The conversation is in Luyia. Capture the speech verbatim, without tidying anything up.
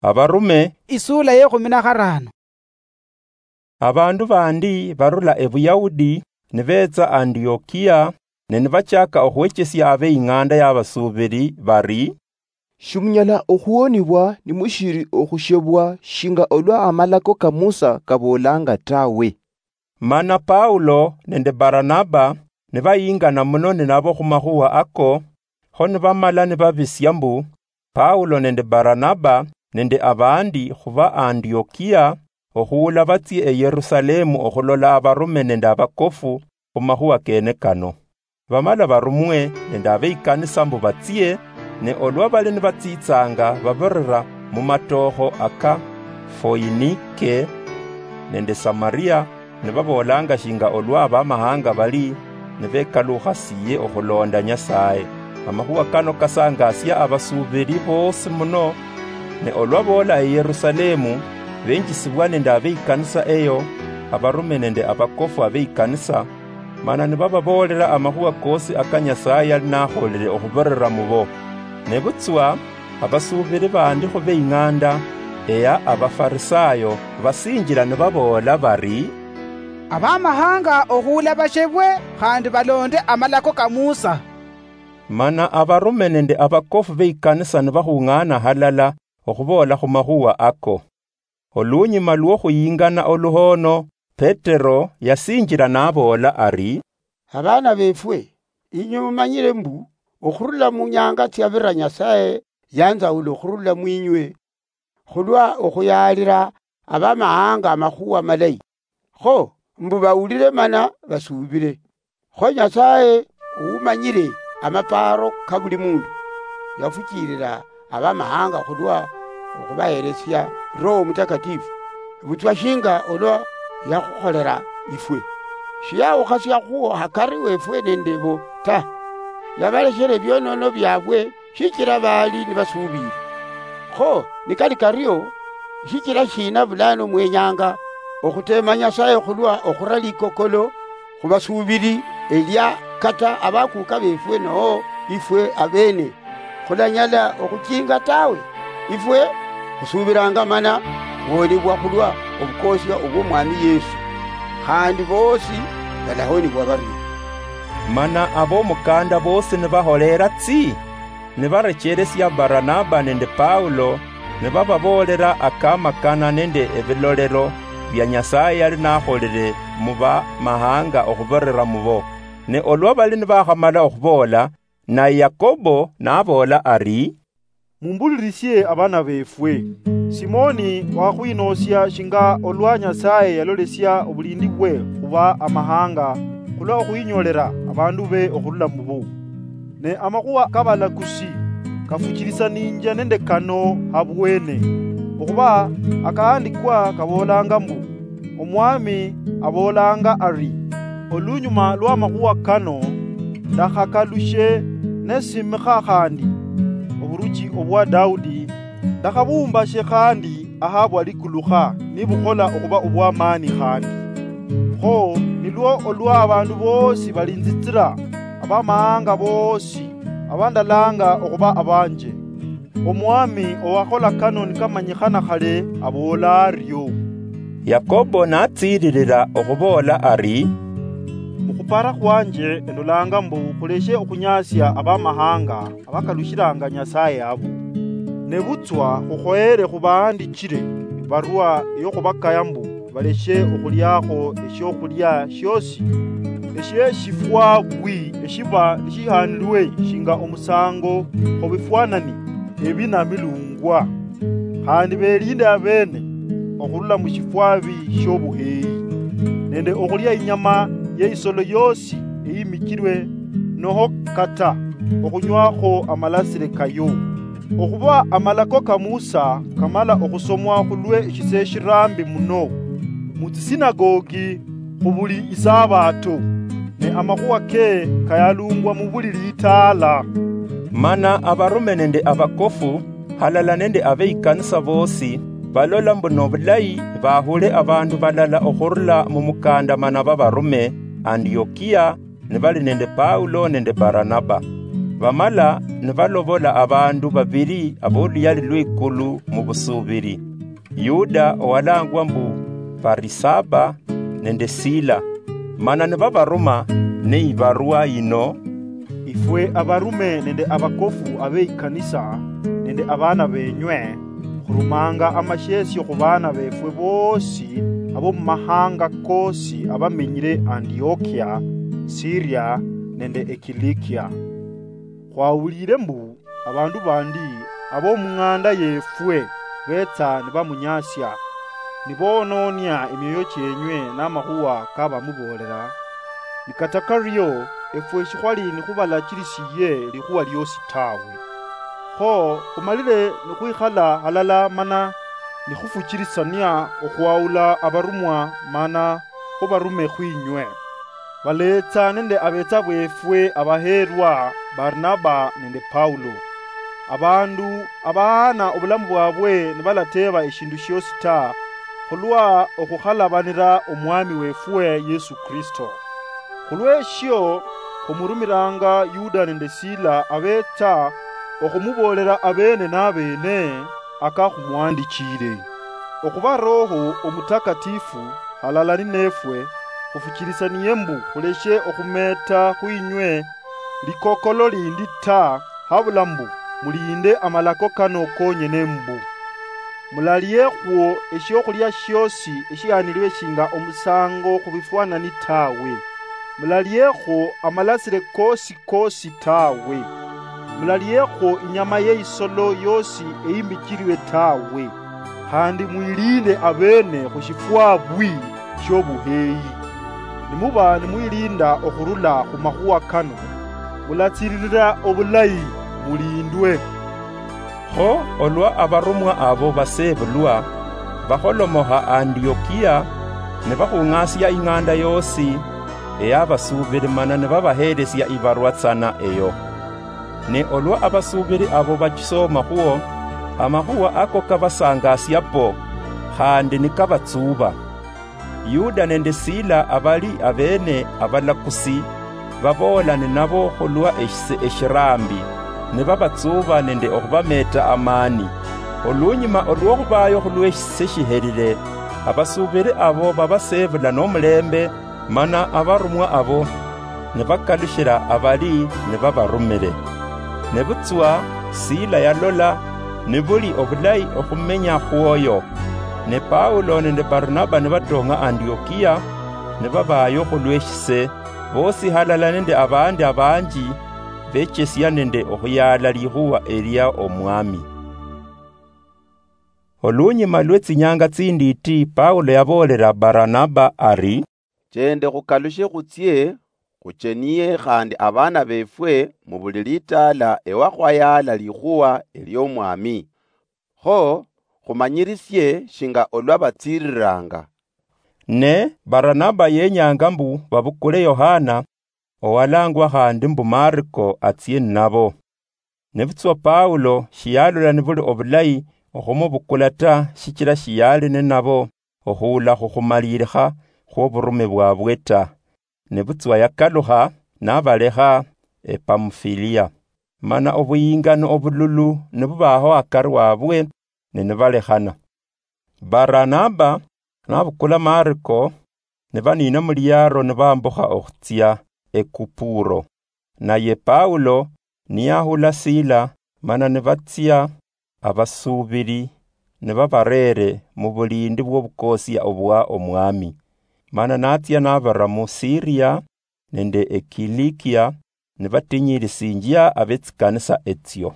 Abarume. Isula ye khumi na kharano. Abandu bandi barula Ebuyahudi nibeetsa Antiokia, ne nibachaka okhwechesia ab'eing'anda y'abasuubiri bari, "Shimunyala okhuhonibwa nimushiri okhushebwa shinga olwa amalako ka Musa kaboolanga tawe." Mana Paulo nende Baranaba nibayingana muno ninabo khumakhuwa ako, kho nibamala nibabisia mbu, Paulo nende Baranaba nende abandi khuba Antiokia, okhuula batsie e Yerusalemu okhulola abarume nende abakofu khumakhuwa kene kano. Bamala barumwe nende abeikanisa mbu batsie, ne olwa bali nibatsitsanga babirira mumatookho aka Foinike nende Samaria, nibaboolanga shinga olwa abamahanga bali nibekalukhasiye okhulonda Nyasaye. Amakhuwa kano kasangasia abasuubiri boosi muno, ne olwa boola e Yerusalemu, benjisibwa nende abeikanisa eyo, abarume nende abakofu abeikanisa, mana nibababoolera amakhuwa koosi aka Nyasaye yali nakholire okhubirira mubo. Nebutswa abasuubiri bandi khube ing'anda eya Abafarisayo basinjila nibaboola bari, "Abamahanga okhuula bashebwe khandi balonde amalako ka Musa." Mana abarume nende abakofu beikanisa nibakhung'ana halala okhuboola khumakhuwa ako. Olunyuma lwokhuyingana oluhoono, Petero yasinjila naboola ari, "Abaana befwe, inywe mumanyire mbu okhurula munyanga tsiabira Nyasaye yanzaula okhurula mwinywe khulwa okhuyaalira abamahanga amakhuwa malayi, kho mbu bawulire mana basuubire. Kho Nyasaye, uumanyire amapaaro ka buli mundu, yafuchilira abamahanga khulwa okhubaheresia Roho Mutakatifu, butswa shinga olwa yakhukholera ifwe. Shiyawukhasiakhuo hakari wefwe nende bo ta, yabaleshera ebionono biabwe shichira baali nibasuubire. Kho nikali kario, shichira shina bulano mwenyanga okhuteema Nyasaye khulwa okhura likokolo khubasuubiri elia kata abakuuka befwe noo ifwe abeene khulanyala okhuchinga tawe? Ifwe khusuubiranga mana khuhonibwa khulwa obukoosia obw'Omwami Yesu, khandi boosi balahonibwa barie." Mana abomukanda boosi nibaholeera tsi, nibarecheresia Baranaba nende Paulo, nibababoolera akamakana nende ebilolero bia Nyasaye yali nakholire mu bamahanga okhubirira mubo. Ne olwa bali nibakhamala okhuboola, naye Yakobo naboola ari, "Mumbulirisie abana befwe. Simoni wakhwinoosia shinga olwa Nyasaye yalolesia obulindi bwe khuba amahanga khulwa okhwinyoolera abandu be okhurula mubo. Ne amakhuwa kabalakusi kafuchilisaninjia nende kano habwene, okhuba akahandikwa kaboolanga mbu, Omwami aboolanga ari, 'Olunyuma lw'amakhuwa kano, ndakhakalushe nesimikha khandi oburuchi obwa Daudi, ndakhabumbashe khandi ahabwa likulukha nibukhola okhuba obw'amaani khandi.' Kho nilwo olwa abandu boosi balinzitsira, abamahanga boosi abandalanga okhuba abanje. Omwami owakhola kano nikamanyikhana khale, aboola ario." Yakobo natsiililila okhuboola ari, "Mukhupara khwanje endolanga mbu khuleshe okhunyaasia abamahanga abakalushilanga Nyasaye abo. Nebutswa khukhoyere khubahandichile ibarwa eyokhubakaya mbu baleshe okhuliakho eshiokhulia shiosi eshieshifwa bwi eshiba nishihanilwe shinga omusango khubifwanani ebi namilungwa, khandi belinde abeene okhurula mushifwabi shiobuheyi, nende okhulia inyama yeisolo yosi eyimichilwe, noho kata okhunywakho amalasile kayo. Okhuba amalako ka Musa kamala okhusomwa khulwe eshisee shirambi muno mutsisinagogi khubuli isabato, ne amakhuwa ke kayalungwa mubuli litaala." Mana abarume nende abakofu, halala nende abeikanisa boosi, balola mbu nobulayi bahule abandu balala okhurula mumukandamana babarume Antiokia, nibali nende Paulo nende Baranaba. Bamala nibalobola abandu babili aboluyali lwikulu mubusubiri, Yuda owalangwa mbu Barisaba, nende Sila, mana nibabaruma neibarwa yino: Ifwe abarume nende abakofu abeikanisa, nende abana benywe, khurumanga amashesio khubana befwe bosi abomumahanga kosi abamenyire Antiokia, Siria, nende Ekilikia. Khwawulire mbu abandu bandi abomung'anda yefwe betsa nibamunyasia, niboononia emioyo chienywe namakhuwa kabamuboolera. Nikata kario, efwe shikhwali nikhubalachirisiye likhuwa liosi tawe. Kho khumalire nikhwikhala halala mana nikhufuchirisania okhwawula abarumwa mana khubarume khwinywe. Baleetsa nende abetsa befwe abaheerwa, Barnaba nende Paulo, abandu abahaana obulamu bwabwe nibalateeba eshindu shiosi ta, khulwa okhukhalabanira Omwami wefwe Yesu Kristo. Khulweshio khumurumiranga Yuda nende Sila abetsa okhumuboolera abene nabene akakhumwandichire. Okhuba Roho Omutakatifu halala ninefwe, khufuchirisanie mbu khuleshe okhumeeta khwinywe likokolo lindi ta, habula mbu muliinde amalako kano konyene mbu: Mulaliekhwo eshiokhulia shiosi eshihanirwe shinga omusango khubifwanani tawe. Mulaliekhwo amalasire kosi kosi tawe. Mulaliekhwo inyama yeisolo yosi eyimbichirwe tawe. Khandi mwilinde abene khushifwabwi shiobuheyi. Nimuba nimwilinda okhurula khumakhuwa kano, mulatsiririra obulayi mulindwe. Kho olwa abarumwa abo basebulwa, bakholomokha Antiokia, nibakhung'asia ing'anda yosi eyabasuubiri mana nibabahelesia ibarwa tsana eyo. Ne olwa abasuubiri abo bachisoomakhwo, amakhuwa ako kabasangasia po, khandi nikabatsuuba. Yuda nende Sila abali abene abalakusi, baboola ninabo khulwa eshise eshirambi, nibabatsuuba nende okhubameeta amaani. Olunyuma olwokhubaayo khulweshise shihelile, abasuubiri abo babaseebula nomulembe, mana abarumwa abo nibakalushila abali nibabarumire. Nebutswa Sila yalola nibuli obulayi okhumenya khwoyo, ne Paulo nende Barnaba nibatong'a Antiokia, nibabaayo khulweshise, bosi halala nende abandi abanji bechesia nende okhuyaala likhuwa elia Omwami. Olunyuma lwetsinyanga tsindiiti, Paulo yaboolera Barnaba ari, "Chende khukalushe khutsie khucheniye khandi abana befwe mu buli litaala ewakhwayaala likhuwa eliomwami. Kho khumanyirisie shinga olwa batsiriranga." Ne Baranaba yenyanga mbu babukule Yohana, owalangwa khandi mbu Mariko, atsie ninabo. Nebutswa Paulo shiyalola nibuli obulayi okhumubukula ta, shichila shiyali ninabo okhuula khukhumalilikha khwoburume bwabwe ta. Nebutswa yakalukha nabalekha ePamufilia, mana obuyingano obululu nibubaho akari wabwe, ne nibalekhana. Baranaba nabukula Mariko, nibaniina muliaro nibambukha okhutsia eKupuro. Naye Paulo niyahula Sila, mana nibatsia abasuubiri nibabareere mubulindi bwobukosia obwa Omwami. Mana natsia nabara mu Siria nende eKilikia, nibatinyirisinjia abetsikanisa etsio.